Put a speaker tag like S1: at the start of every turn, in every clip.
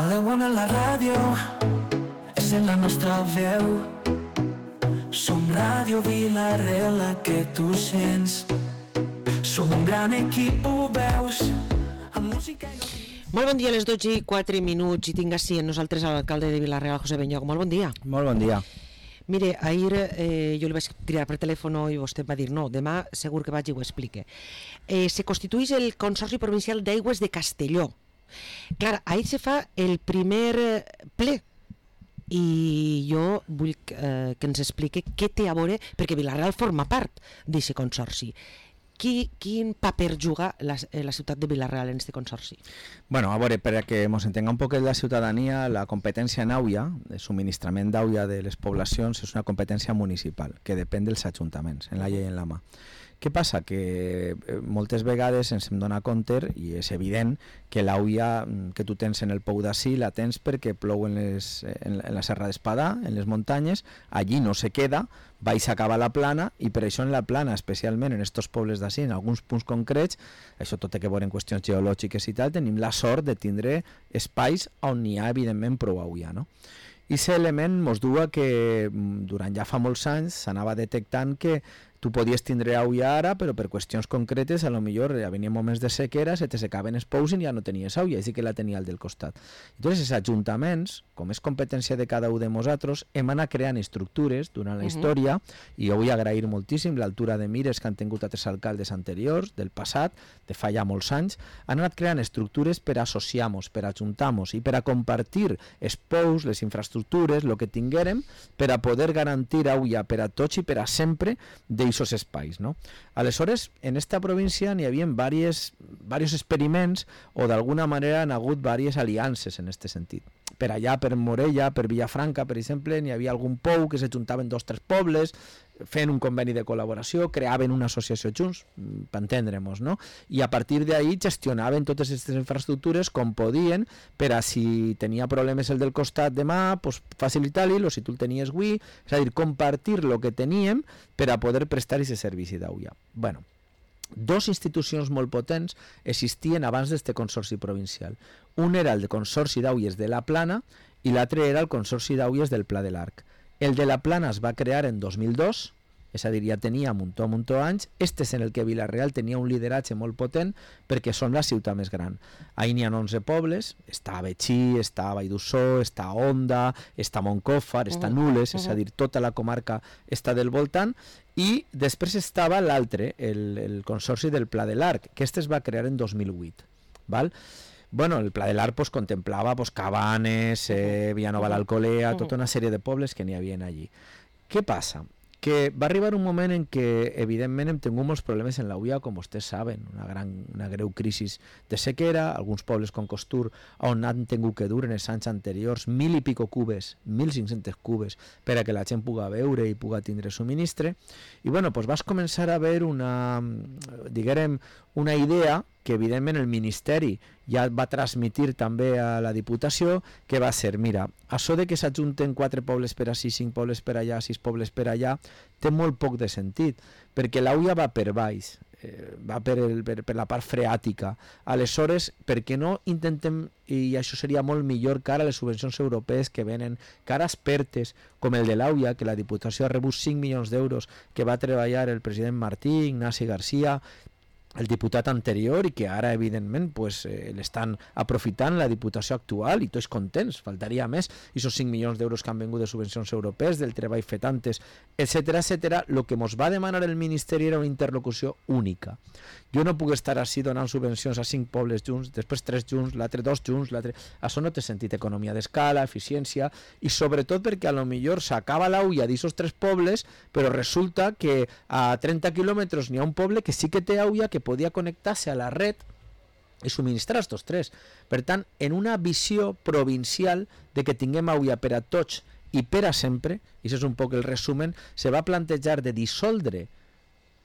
S1: de bona la ràdio, és en la nostra veu. Som Ràdio Vila-real, la que tu sents. Som un gran equip, ho veus, amb música i...
S2: Molt bon dia, a les 12:04 i tinc així amb nosaltres l'alcalde de Vila-real, José Benyoc. Molt bon dia.
S3: Molt bon dia.
S2: Mire, ahir jo li vaig triar per telèfon i vostè va dir no, demà segur que vaig i ho explique. Se constitueix el Consorci Provincial d'Aigües de Castelló. Clar, ahir se fa el primer ple i jo vull que ens explique què té a veure, perquè Vila-real forma part d'aquest consorci. Quin paper juga la ciutat de Vila-real en aquest consorci?
S3: Bueno, a veure, per que ens entenga un poquet la ciutadania, la competència en aigua, de subministrament d'aigua de les poblacions, és una competència municipal, que depèn dels ajuntaments, en la llei en la mà. Què passa? Que moltes vegades ens hem donat compte, i és evident, que l'aigua que tu tens en el Pou d'Ací la tens perquè plou en la Serra d'Espadà, en les muntanyes, allí no se queda, baix acaba la plana, i per això en la plana, especialment en aquests pobles d'Ací, en alguns punts concrets, això tot té que veure en qüestions geològiques i tal, tenim la sort de tindre espais on n'hi ha, evidentment, prou aigua, no? I aquest element ens du a que durant ja fa molts anys s'anava detectant que tu podies tindre aigua ara, però per qüestions concretes, a lo millor venien moments de sequera, se te secaven els pous i ja no tenies aigua, i sí que la tenia el del costat. Entonces, els ajuntaments, com és competència de cada un de nosaltres, hem anat creant estructures durant la història, i jo vull agrair moltíssim l'altura de mires que han tingut altres alcaldes anteriors, del passat, de fa ja molts anys, han anat creant estructures per associar-nos, per ajuntar-nos i per a compartir els pous, les infraestructures, el que tinguérem, per a poder garantir aigua per a tots i per a sempre d'aquests espais, no? Aleshores, en esta província n'hi havia diversos experiments o d'alguna manera han hagut diverses aliances en aquest sentit. Per allà, per Morella, per Villafranca, per exemple, n'hi havia algun pou que s'ajuntaven 2 o 3 pobles, fent un conveni de col·laboració, creaven una associació junts, per entendre'ns, no? I a partir d'ahí gestionaven totes aquestes infraestructures com podien, per a si tenia problemes el del costat demà, pues, facilitar-li, o si tu el tenies avui, és a dir, compartir el que teníem per a poder prestar aquest servici d'aigua. Bueno, 2 institucions molt potents existien abans d'este consorci provincial. Un era el Consorci d'Aigües de la Plana i l'altre era el Consorci d'Aigües del Pla de l'Arc. El de la Plana es va crear en 2002, és a dir, ja tenia un muntó anys. Este és en el que Vila-real tenia un lideratge molt potent perquè són la ciutat més gran. Ahir n'hi ha 11 pobles, està Betxí, està Vall d'Ussó, està Onda, està Moncofa, està Nules, és a dir, tota la comarca està del voltant, i després estava l'altre, el Consorci del Pla de l'Arc, que este es va crear en 2008, val? Bueno, el Pla de l'Arc pues, contemplava pues, Cabanes, Villanova l'Alcolea, tota una sèrie de pobles que n'hi havia allí. Què passa? Que va arribar un moment en què, evidentment, hem tingut molts problemes en l'aigua, com vostès saben, una greu crisi de sequera, alguns pobles com Costur, on han tingut que dur en els anys anteriors 1.000 i pico cubes, 1.500 cubes, per a que la gent pugui beure i pugui tindre subministre. I bueno, doncs vas començar a veure una idea que evidentment el Ministeri ja va transmitir també a la Diputació, que va ser, mira, això de que s'ajunten 4 pobles per ací, 5 pobles per allà, 6 pobles per allà, té molt poc de sentit, perquè l'aigua va per baix, va per la part freàtica. Aleshores, per què no intentem, i això seria molt millor que ara les subvencions europees que venen, que ara expertes com el de l'aigua, que la Diputació ha rebut 5 milions d'euros, que va treballar el president Martí, Ignasi Garcia, el diputat anterior, i que ara evidentment pues, l'estan aprofitant la Diputació actual, i tots contents, faltaria més, i aquests 5 milions d'euros que han vingut de subvencions europees, del treball fet antes, etcètera, etcètera. El que ens va demanar el Ministeri era una interlocució única. Jo no puc estar així donant subvencions a 5 pobles junts, després 3 junts, l'altre 2 junts, l'altre... Això no té sentit, economia d'escala, eficiència, i sobretot perquè a lo millor s'acaba l'aigua d'aquests 3 pobles, però resulta que a 30 quilòmetres n'hi ha un poble que sí que té aigua, que podia connectar-se a la red i subministrar estos 3. Per tant, en una visió provincial de que tinguem aigua per a tots i per a sempre, i això és un poc el resumen, se va plantejar de dissoldre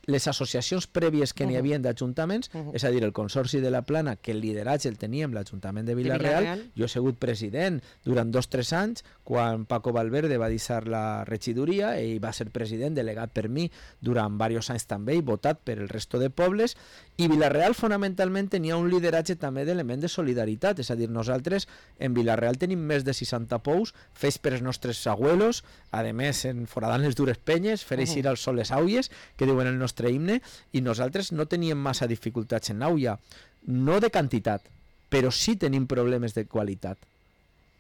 S3: les associacions prèvies que n'hi havia d'ajuntaments, és a dir, el Consorci de la Plana, que el lideratge el teníem l'Ajuntament de Vila-real, jo he sigut president durant 2-3 anys, quan Paco Valverde va deixar la regidoria, ell va ser president, delegat per mi durant diversos anys també, i votat per el resto de pobles, i Vila-real fonamentalment tenia un lideratge també d'element de solidaritat, és a dir, nosaltres en Vila-real tenim més de 60 pous fets per els nostres abuelos, a més en foradant les dures penyes, fer eixir al sol les aules, que diuen el nostre himne, i nosaltres no teníem massa dificultats en l'auia, no de quantitat, però sí tenim problemes de qualitat.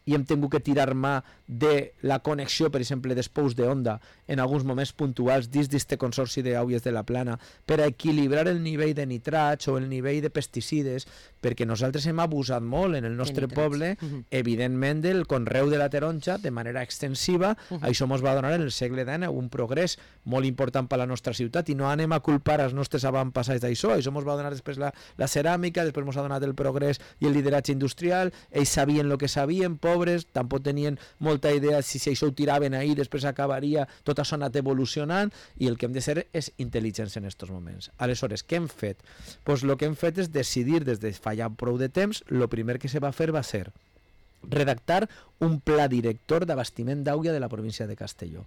S3: I hem tingut que tirar mà de la connexió, per exemple, dels pous d'onda en alguns moments puntuals dins d'este consorci d'aules de la Plana per a equilibrar el nivell de nitrats o el nivell de pesticides, perquè nosaltres hem abusat molt en el nostre poble, evidentment, del conreu de la taronja de manera extensiva. Això ens va donar en el segle XIX un progrés molt important per a la nostra ciutat, i no anem a culpar els nostres avantpassats d'això. Això ens va donar després la ceràmica, després ens ha donat el progrés i el lideratge industrial. Ells sabien el que sabien, pobres, tampoc tenien molta idea si això ho tiraven ahir, després acabaria, tot això ha anat evolucionant, i el que hem de ser és intel·ligents en aquests moments. Aleshores, què hem fet? Pues el que hem fet és decidir, des de fa ja prou de temps, el primer que se va fer va ser redactar un pla director d'abastiment d'aigua de la província de Castelló.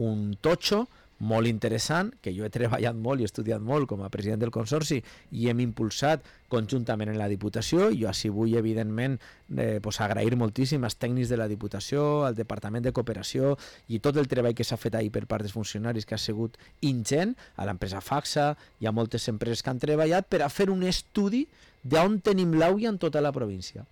S3: Un totxo molt interessant, que jo he treballat molt i he estudiat molt com a president del Consorci, i hem impulsat conjuntament en la Diputació. Jo així vull, evidentment, agrair moltíssim als tècnics de la Diputació, al Departament de Cooperació, i tot el treball que s'ha fet ahir per part dels funcionaris, que ha sigut ingent, a l'empresa Faxa i a moltes empreses que han treballat per a fer un estudi d'on tenim l'aigua en tota la província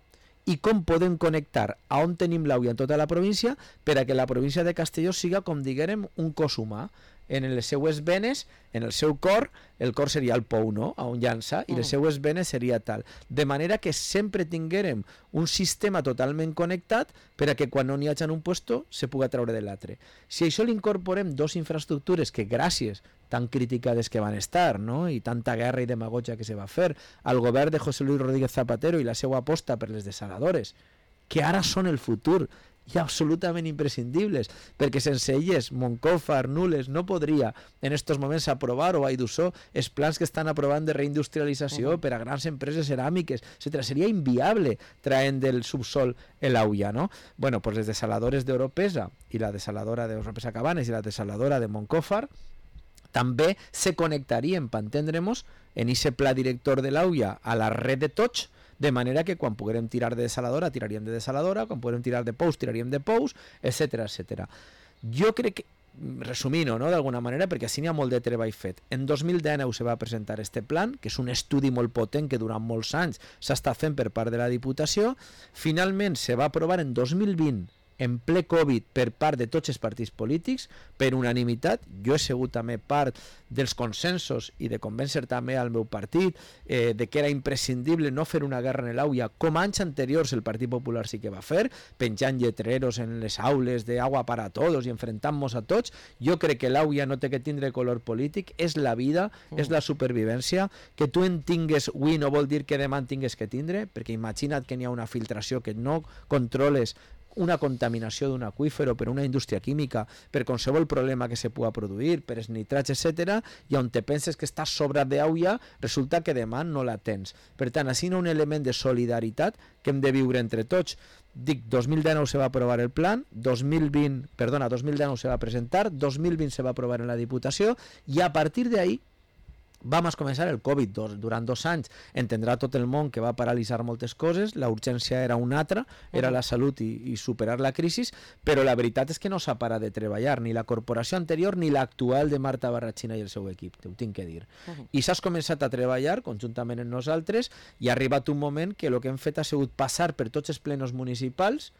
S3: i com podem connectar a on tenim l'aigua en tota la província per a que la província de Castelló siga, com diguérem, un cos humà. En les seues venes, en el seu cor, el cor seria el pou, no?, a on llança, i les seues venes seria tal. De manera que sempre tinguérem un sistema totalment connectat per a que quan no n'hi hagi en un puesto se puga treure de l'altre. Si això l'incorporem dos infraestructures que, gràcies tan criticades que van estar, no?, i tanta guerra i demagogia que se va fer al govern de José Luis Rodríguez Zapatero i la seva aposta per les desaladores, que ara són el futur i absolutament imprescindibles, perquè sense elles Moncofa, Nules no podria en estos moments aprovar, o Aidusó, els plans que estan aprovant de reindustrialització per a grans empreses ceràmiques, etc. Seria inviable traient del subsol l'aigua, no? Bueno, pues les desaladores d'Europesa i la desaladora d'Europesa Cabanes i la desaladora de Moncófar també se connectarien, per entendre'ns, en aquest pla director de l'aigua a la red de tots, de manera que quan puguem tirar de desaladora, tiraríem de desaladora, quan puguem tirar de pous, tiraríem de pous, etc. etc. Jo crec que, resumint-ho, no?, d'alguna manera, perquè així n'hi ha molt de treball fet. En 2019 se va presentar este plan, que és un estudi molt potent que durant molts anys s'ha estat fent per part de la Diputació. Finalment se va aprovar en 2020, en ple Covid, per part de tots els partits polítics, per unanimitat. Jo he sigut també part dels consensos i de convèncer també al meu partit de que era imprescindible no fer una guerra en l'aigua, com anys anteriors el Partit Popular sí que va fer, penjant lletreros en les aules de agua para todos i enfrentant-nos a tots. Jo crec que l'aigua no té que tindre color polític, és la vida, és la supervivència. Que tu en tingues avui no vol dir que demà en tingues que tindre, perquè imagina't que n'hi ha una filtració, que no controles una contaminació d'un aqüífer o per una indústria química, per qualsevol problema que se pugui produir, per els nitrats, etc., i on te penses que estàs sobrat d'aigua, resulta que demà no la tens. Per tant, així hi ha un element de solidaritat que hem de viure entre tots. Dic, 2019 se va aprovar el plan, 2019 se va presentar, 2020 se va aprovar en la Diputació, i a partir d'ahí vam començar el Covid. Durant 2 anys entendrà tot el món que va paralitzar moltes coses, la urgència era una altra, era la salut i superar la crisi, però la veritat és que no s'ha parat de treballar, ni la corporació anterior ni l'actual de Marta Barrachina i el seu equip, t'ho tinc que dir. I s'has començat a treballar conjuntament amb nosaltres, i ha arribat un moment que el que hem fet ha sigut passar per tots els plenos municipals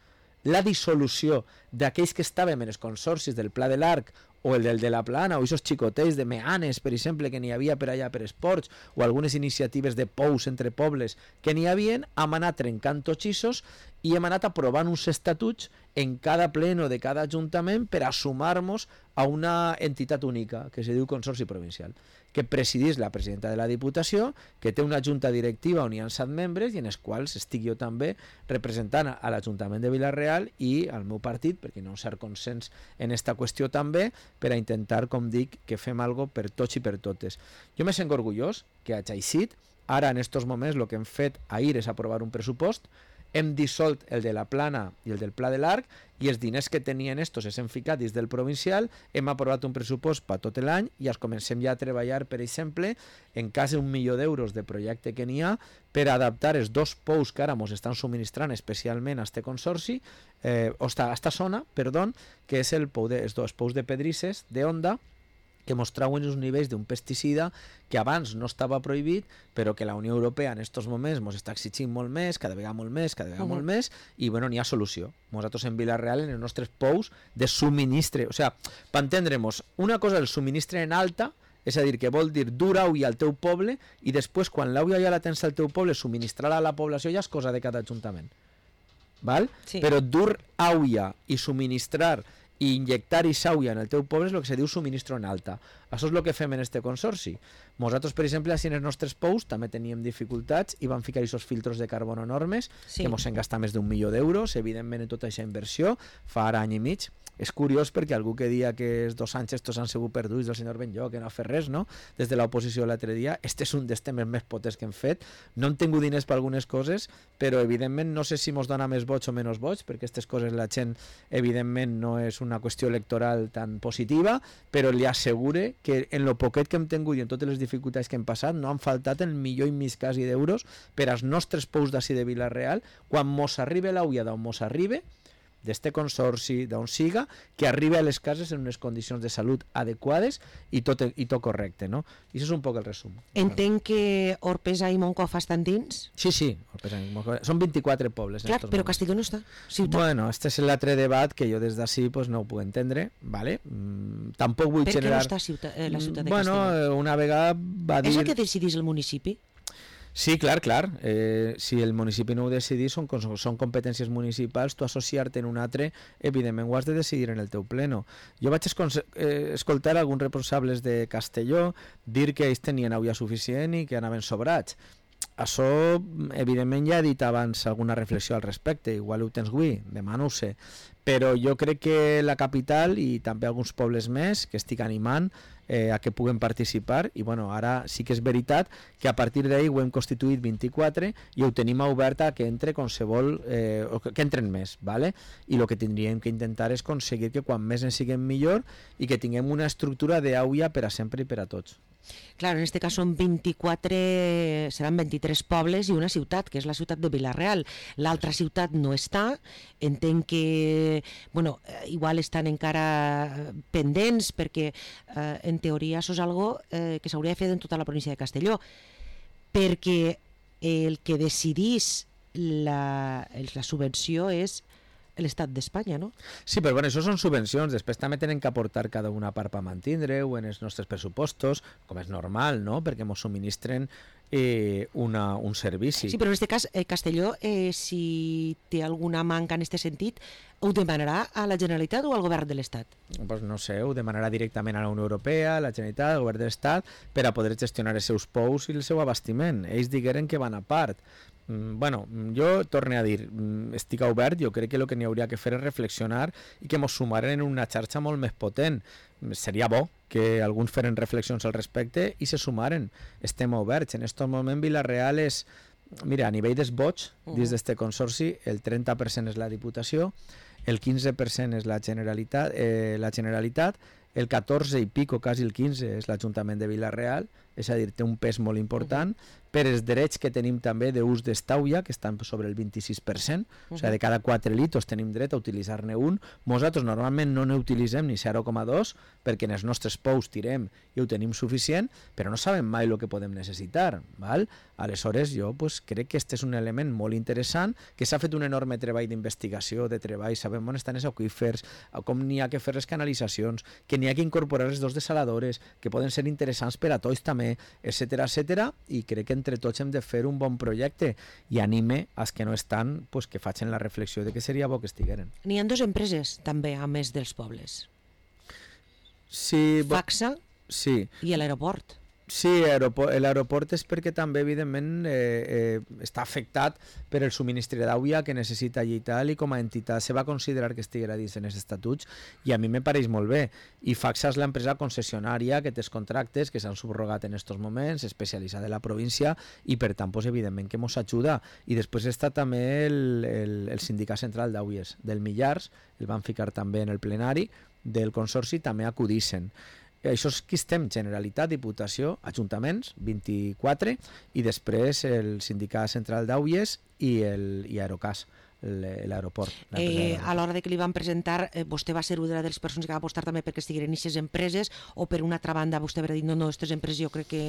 S3: la dissolució d'aquells que estàvem en els consorcis del Pla de l'Arc o el del de la Plana, o aquests xicotets de Meanes, per exemple, que n'hi havia per allà per esports, o algunes iniciatives de pous entre pobles que n'hi havien, hem anat trencant tots ixos i hem anat aprovant uns estatuts en cada pleno de cada ajuntament per a sumar-nos a una entitat única, que se diu Consorci Provincial, que presidís la presidenta de la Diputació, que té una junta directiva on hi ha 7 membres i en els quals estic jo també representant a l'Ajuntament de Vila-real i al meu partit, perquè hi ha un cert consens en aquesta qüestió també, per a intentar, com dic, que fem algo per tots i per totes. Jo me sent orgullós que hagi eixit. Ara, en estos moments, el que hem fet ahir és aprovar un pressupost, hem dissolt el de la Plana i el del Pla de l'Arc, i els diners que tenien estos s'han ficat dins del provincial, hem aprovat un pressupost per tot l'any i els comencem ja a treballar, per exemple, en cas d'1 milió d'euros de projecte que n'hi ha, per adaptar els 2 pous que ara ens estan subministrant especialment a este consorci, a esta zona, que és els 2 pous de pedrisses d'Onda, que mostraven uns nivells d'un pesticida que abans no estava prohibit, però que la Unió Europea en aquests moments ens està exigint molt més, cada vegada molt més, i bueno, n'hi ha solució. Nosaltres en Vila-real, en els nostres pous de subministre, o sigui, per entendre'ns, una cosa és el subministre en alta, és a dir, que vol dir dur aigua al teu poble, i després, quan l'aigua ja la tens al teu poble, subministrar-la a la població ja és cosa de cada ajuntament. Val? Sí. Però dur aigua i subministrar i injectar aigua en el teu poble és el que se diu subministro en alta. Això és el que fem en este consorci. Nosaltres, per exemple, en els nostres pous també teníem dificultats i vam ficar aquests filtros de carbono enormes, que ens hem gastat més d'1 milió d'euros, evidentment en tota aquesta inversió, fa ara any i mig. És curiós perquè algú que dia que els 2 anys estos han sigut perduts del senyor Benlloc, que no ha fet res, no? Des de l'oposició l'altre dia, este és un dels temes més potents que hem fet. No hem tingut diners per algunes coses, però evidentment no sé si ens dona més vots o menys vots, perquè aquestes coses la gent evidentment no és una qüestió electoral tan positiva, però li assegure que en lo poquet que hem tingut i en totes les dificultats que hem passat no han faltat el milió i mig quasi d'euros per als nostres pous d'ací de Vila-real, quan mos arriba l'aigua d'on mos arriba, d'este consorci, d'on siga, que arriba a les cases en unes condicions de salut adequades i tot correcte, no? I això és un poc el resum.
S2: Entenc que Orpesa i Moncofa estan dins?
S3: Sí, Orpesa i Moncofa. Són 24 pobles.
S2: Clar, però Castelló no està. Ciutat.
S3: Bueno, este és l'altre debat que jo des d'ací pues, no ho puc entendre, ¿vale? Tampoc vull generar...
S2: Per què no està la ciutat de Castelló?
S3: Bueno, una vegada va dir...
S2: És el que decidís el municipi?
S3: Sí, clar. Si el municipi no ho decidís, són competències municipals, tu associar-te en un altre, evidentment ho has de decidir en el teu pleno. Jo vaig escoltar alguns responsables de Castelló dir que ells tenien aigua suficient i que anaven sobrats. Això, evidentment, ja he dit abans alguna reflexió al respecte, igual ho tens avui, demà no ho sé, però jo crec que la capital i també alguns pobles més que estic animant a que puguen participar i bueno, ara sí que és veritat que a partir d'ahir ho hem constituït 24 i ho tenim obert a que entre qualsevol, que entren més, ¿vale? I el que tindríem que intentar és aconseguir que quan més en siguem millor i que tinguem una estructura d'aigua per a sempre i per a tots.
S2: Claro, en este cas són 24, seran 23 pobles i una ciutat, que és la ciutat de Vila-real. L'altra ciutat no està, entenc que, bueno, igual estan encara pendents perquè en teoria això és algo que s'hauria de fer en tota la província de Castelló, perquè el que decidís la subvenció és l'estat d'Espanya, no?
S3: Sí, però bueno, això són subvencions, després també tenen que aportar cada una part per mantindre-ho en els nostres pressupostos, com és normal, no? Perquè ens subministren un servici.
S2: Sí, però en aquest cas, Castelló, si té alguna manca en aquest sentit, ho demanarà a la Generalitat o al govern de l'Estat?
S3: Pues no sé, ho demanarà directament a la Unió Europea, a la Generalitat, al govern de l'Estat, per a poder gestionar els seus pous i el seu abastiment. Ells digueren que van a part. Bueno, jo torno a dir, estic obert, jo crec que el que n'hi hauria que fer és reflexionar i que ens sumaren en una xarxa molt més potent. Seria bo que alguns feren reflexions al respecte i se sumaren. Estem oberts. En aquest moment Vila-real és, mira, a nivell dels vots dins d'este consorci, el 30% és la Diputació, el 15% és la Generalitat, el 14 i pico, quasi el 15, és l'Ajuntament de Vila-real, és a dir, té un pes molt important, per els drets que tenim també d'ús d'estauia, que estan sobre el 26%, o sigui, de cada 4 litres tenim dret a utilitzar-ne un. Nosaltres normalment no n'utilitzem ni 0,2, perquè en els nostres pous tirem i ho tenim suficient, però no sabem mai el que podem necessitar. Val? Aleshores, jo crec que aquest és un element molt interessant, que s'ha fet un enorme treball d'investigació, de treball, sabem on estan els aqüífers, com n'hi ha que fer les canalitzacions, que n'hi ha que incorporar les dos desaladores, que poden ser interessants per a tots també, etc. I crec que entre tots hem de fer un bon projecte i anime als que no estan que facin la reflexió de que seria bo que estigueren.
S2: N'hi ha 2 empreses també a més dels pobles.
S3: Sí,
S2: Facsa
S3: sí.
S2: i l'aeroport.
S3: Sí, l'aeroport és perquè també, evidentment, està afectat per el subministre d'aigua que necessita allí i tal, i com a entitat se va considerar que estiguera dins en els estatuts, i a mi me pareix molt bé. I Facsa és l'empresa concessionària que té els contractes que s'han subrogat en aquests moments, especialitzada en la província, i per tant, pues, evidentment que ens ajuda. I després està també el sindicat central d'Auies del Millars, el van ficar també en el plenari del Consorci, també acudixen. Això és qui estem, Generalitat, Diputació, Ajuntaments, 24, i després el Sindicat Central d'Auies i Aerocas, l'aeroport.
S2: A l'hora de que li van presentar, vostè va ser una de les persones que va apostar també perquè estigueren en aquestes empreses, o per una altra banda vostè va dir, no, aquestes empreses jo crec que...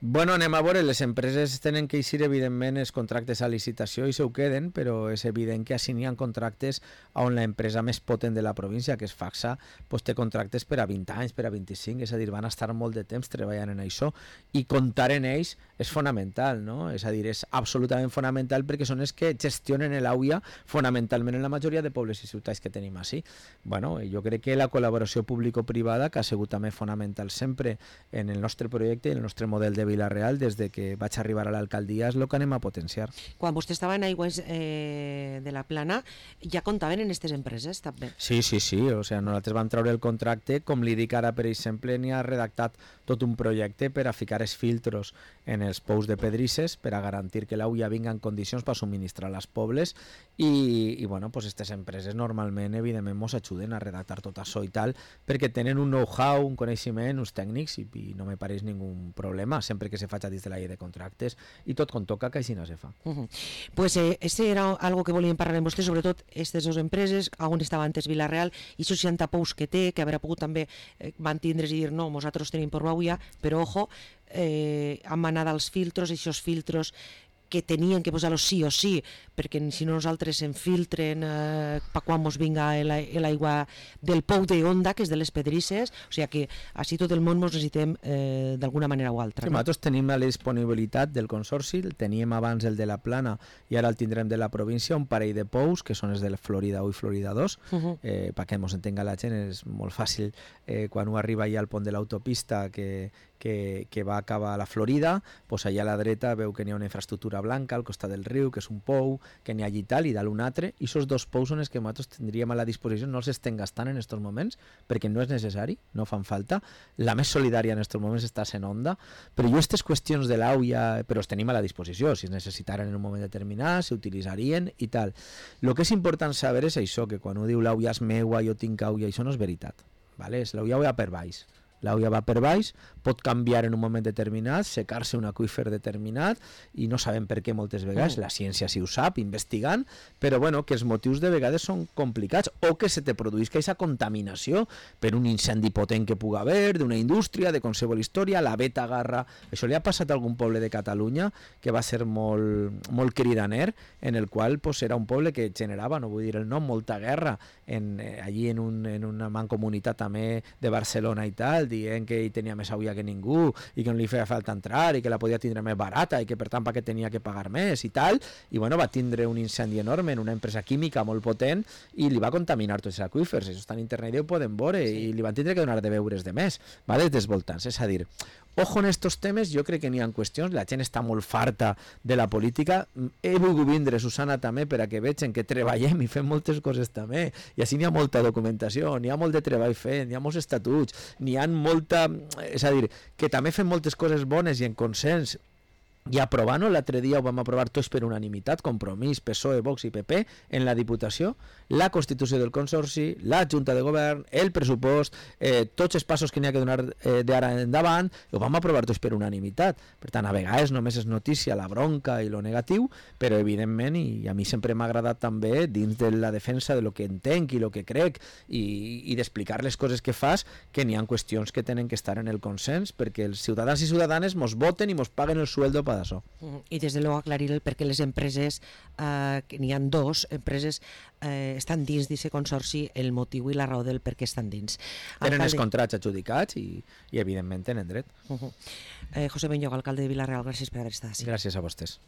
S3: Bueno, anem a veure, les empreses tenen que eixir evidentment els contractes a licitació i se ho queden, però és evident que així n'hi ha contractes on l'empresa més potent de la província, que és Facsa, pues, té contractes per a 20 anys, per a 25, és a dir, van estar molt de temps treballant en això, i comptar en ells és fonamental, no? És a dir, és absolutament fonamental perquè són els que gestionen l'aigua fonamentalment en la majoria de pobles i ciutats que tenim així. Bueno, jo crec que la col·laboració público-privada, que ha sigut també fonamental sempre en el nostre projecte i en el nostre model de Vila-real, des de que vaig arribar a l'alcaldia, és el que anem a potenciar.
S2: Quan vostè estava en Aigües de la Plana, ja comptaven en aquestes empreses, també?
S3: Sí, o sigui, nosaltres vam treure el contracte, com li dic ara, per exemple, n'hi ha redactat tot un projecte per a ficar els filtros en els pous de pedrisses per a garantir que l'aigua vinga en condicions per subministrar als pobles, i bueno, pues aquestes empreses normalment, evidentment, ens ajuden a redactar tot això i tal, perquè tenen un know-how, un coneixement, uns tècnics, i no me pareix ningú problema, sempre que se faci dins de la llei de contractes, i tot com toca, que així no se fa.
S2: Pues este era algo que volíem parlar amb vostè, sobretot aquestes dues empreses, on estava antes Vila-real, i 60 pous que té, que haurà pogut també mantindre's i dir, no, nosaltres tenim per l'aigua, però ojo, han manat als filtros, i aquests filtros que tenien que posar-los sí o sí, perquè si no nosaltres se'n filtren per quan ens vinga l'aigua del pou d'Onda, que és de les pedrisses, o sigui que així tot el món ens necessitem d'alguna manera o altra.
S3: Sí, nosaltres tenim la disponibilitat del Consorci, el teníem abans el de la Plana i ara el tindrem de la província, un parell de pous, que són els de Florida 1 i Florida 2, perquè ens entenga la gent, és molt fàcil quan ho arriba allà al pont de l'autopista que va acabar a la Florida, doncs allà a la dreta veu que n'hi ha una infraestructura blanca al costat del riu, que és un pou, que n'hi ha allí tal i dalt un altre, i aquests dos pous són els que nosaltres tindríem a la disposició, no els estem gastant en aquests moments, perquè no és necessari, no fan falta. La més solidària en aquests moments està sent Onda, però jo aquestes qüestions de l'aigua, però els tenim a la disposició, si es necessitaren en un moment determinat, s'utilitzarien i tal. El que és important saber és això, que quan ho diu l'aigua és meua, jo tinc aigua, això no és veritat. L'aigua va per baix. L'aigua va per baix, pot canviar en un moment determinat, secar-se un aqüífer determinat, i no sabem per què moltes vegades, la ciència sí ho sap, investigant, però bueno, que els motius de vegades són complicats, o que se te produïsca aquesta contaminació per un incendi potent que pugui haver, d'una indústria, de qualsevol història, la Beta Garra. Això li ha passat a algun poble de Catalunya que va ser molt cridaner, en el qual era un poble que generava, no vull dir el nom, molta guerra, allí en una mancomunitat també de Barcelona i tal, dient que hi tenia més aigua que ningú i que no li feia falta entrar i que la podia tindre més barata i que per tant perquè tenia que pagar més i tal, i bueno, va tindre un incendi enorme en una empresa química molt potent i li va contaminar tots els aqüífers. Això està en internet i ho podem veure, i li van tindre que donar de beures de més, dels voltants. És a dir, ojo en estos temes, jo crec que n'hi ha qüestions, la gent està molt farta de la política. He volgut vindre, Susana, també per a que vegin que treballem i fem moltes coses també, i així n'hi ha molta documentació, n'hi ha molt de treball fet, n'hi ha molts estatuts, n'hi ha molta... És a dir, que també fem moltes coses bones i en consens, i aprovant-ho, l'altre dia ho vam aprovar tots per unanimitat, Compromís, PSOE, Vox i PP, en la Diputació, la Constitució del Consorci, la Junta de Govern, el pressupost, tots els passos que n'hi ha que donar d'ara endavant, ho vam aprovar tots per unanimitat. Per tant, a vegades només és notícia la bronca i lo negatiu, però evidentment, i a mi sempre m'ha agradat també, dins de la defensa de lo que entenc i lo que crec, i d'explicar les coses que fas, que n'hi ha qüestions que tenen que estar en el consens, perquè els ciutadans i ciutadanes mos voten i mos paguen el sueldo per d'això.
S2: I des de luego aclarir el perquè les empreses, que n'hi ha dos empreses, estan dins d'aquest consorci, el motiu i la raó del per què estan dins.
S3: Tenen els contrats adjudicats i evidentment tenen dret.
S2: José Benlloc, alcalde de Vila-real, gràcies per haver estat així.
S3: Gràcies a vostès.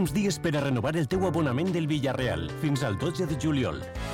S4: últims dies per a renovar el teu abonament del Villarreal, fins al 12 de juliol.